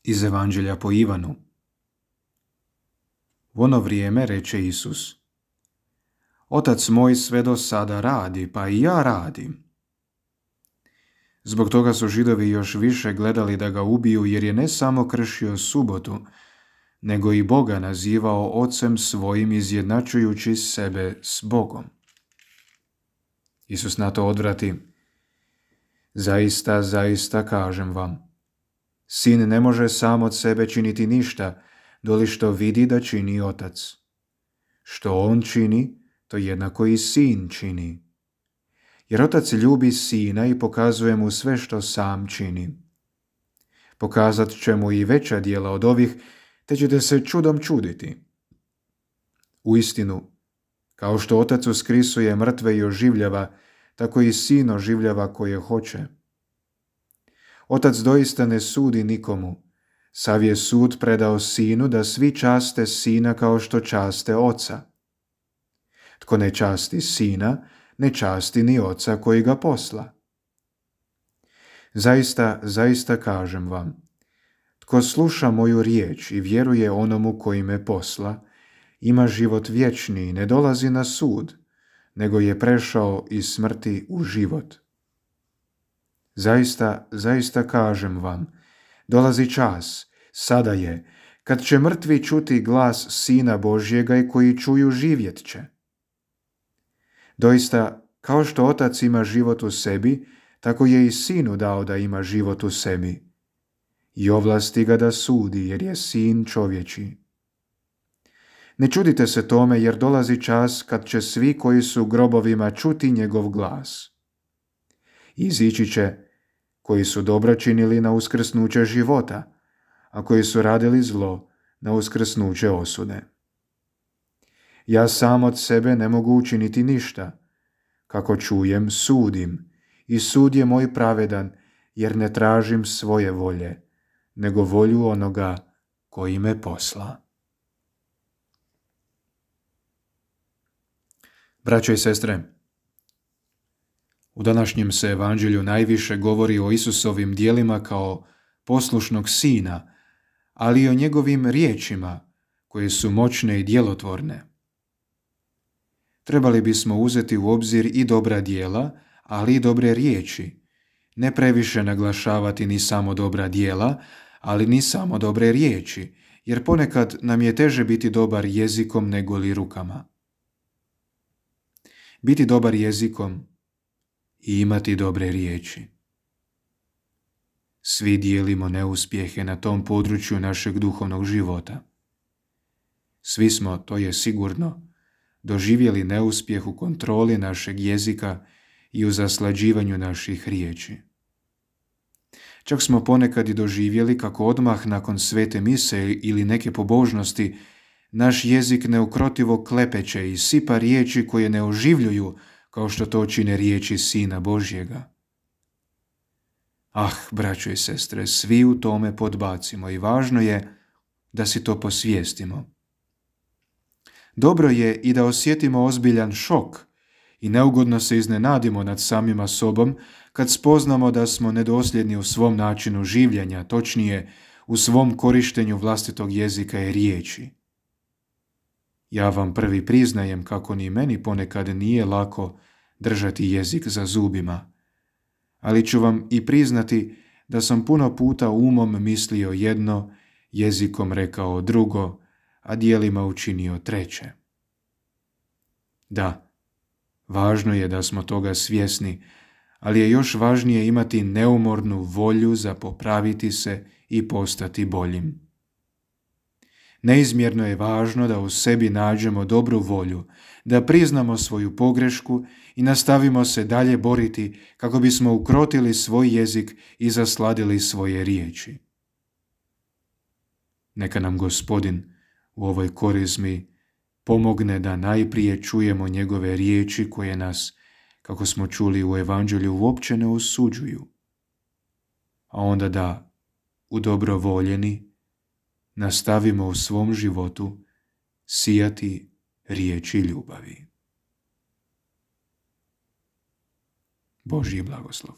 Iz Evanđelja po Ivanu. U ono vrijeme reče Isus: Otac moj sve do sada radi, pa i ja radim. Zbog toga su Židovi još više gledali da ga ubiju, jer je ne samo kršio subotu, nego i Boga nazivao Ocem svojim, izjednačujući sebe s Bogom. Isus na to odvrati: Zaista, zaista kažem vam, sin ne može sam od sebe činiti ništa, doli što vidi da čini otac. Što on čini, to jednako i sin čini. Jer otac ljubi sina i pokazuje mu sve što sam čini. Pokazat će mu i veća djela od ovih, te ćete se čudom čuditi. Uistinu, kao što otac uskrisuje mrtve i oživljava, tako i sin oživljava koje hoće. Otac doista ne sudi nikomu, sav je sud predao sinu da svi časte sina kao što časte oca. Tko ne časti sina, ne časti ni oca koji ga posla. Zaista, zaista kažem vam, tko sluša moju riječ i vjeruje onomu koji me posla, ima život vječni i ne dolazi na sud, nego je prešao iz smrti u život. Zaista, zaista kažem vam, dolazi čas, sada je, kad će mrtvi čuti glas Sina Božjega i koji čuju živjet će. Doista, kao što otac ima život u sebi, tako je i sinu dao da ima život u sebi. I ovlasti ga da sudi, jer je sin čovječji. Ne čudite se tome, jer dolazi čas kad će svi koji su u grobovima čuti njegov glas. Izići će koji su dobro činili na uskrsnuće života, a koji su radili zlo na uskrsnuće osude. Ja sam od sebe ne mogu učiniti ništa. Kako čujem, sudim, i sud je moj pravedan, jer ne tražim svoje volje, nego volju onoga koji me posla. Braćo i sestre, u današnjem se evanđelju najviše govori o Isusovim djelima kao poslušnog sina, ali i o njegovim riječima koje su moćne i djelotvorne. Trebali bismo uzeti u obzir i dobra djela, ali i dobre riječi, ne previše naglašavati ni samo dobra djela, ali ni samo dobre riječi, jer ponekad nam je teže biti dobar jezikom nego li rukama. Biti dobar jezikom i imati dobre riječi. Svi dijelimo neuspjehe na tom području našeg duhovnog života. Svi smo, to je sigurno, doživjeli neuspjeh u kontroli našeg jezika i u zaslađivanju naših riječi. Čak smo ponekad i doživjeli kako odmah nakon svete mise ili neke pobožnosti naš jezik neukrotivo klepeće i sipa riječi koje ne oživljuju kao što to čine riječi Sina Božjega. Braćo i sestre, svi u tome podbacimo i važno je da si to posvijestimo. Dobro je i da osjetimo ozbiljan šok i neugodno se iznenadimo nad samima sobom kad spoznamo da smo nedosljedni u svom načinu življenja, točnije u svom korištenju vlastitog jezika i riječi. Ja vam prvi priznajem kako ni meni ponekad nije lako držati jezik za zubima, ali ću vam i priznati da sam puno puta umom mislio jedno, jezikom rekao drugo, a djelima učinio treće. Da, važno je da smo toga svjesni, ali je još važnije imati neumornu volju za popraviti se i postati boljim. Neizmjerno je važno da u sebi nađemo dobru volju, da priznamo svoju pogrešku i nastavimo se dalje boriti kako bismo ukrotili svoj jezik i zasladili svoje riječi. Neka nam Gospodin u ovoj korizmi pomogne da najprije čujemo njegove riječi koje nas, kako smo čuli u evanđelju, uopće ne osuđuju, a onda da, udobrovoljeni, nastavimo u svom životu sijati riječi ljubavi. Božji blagoslov.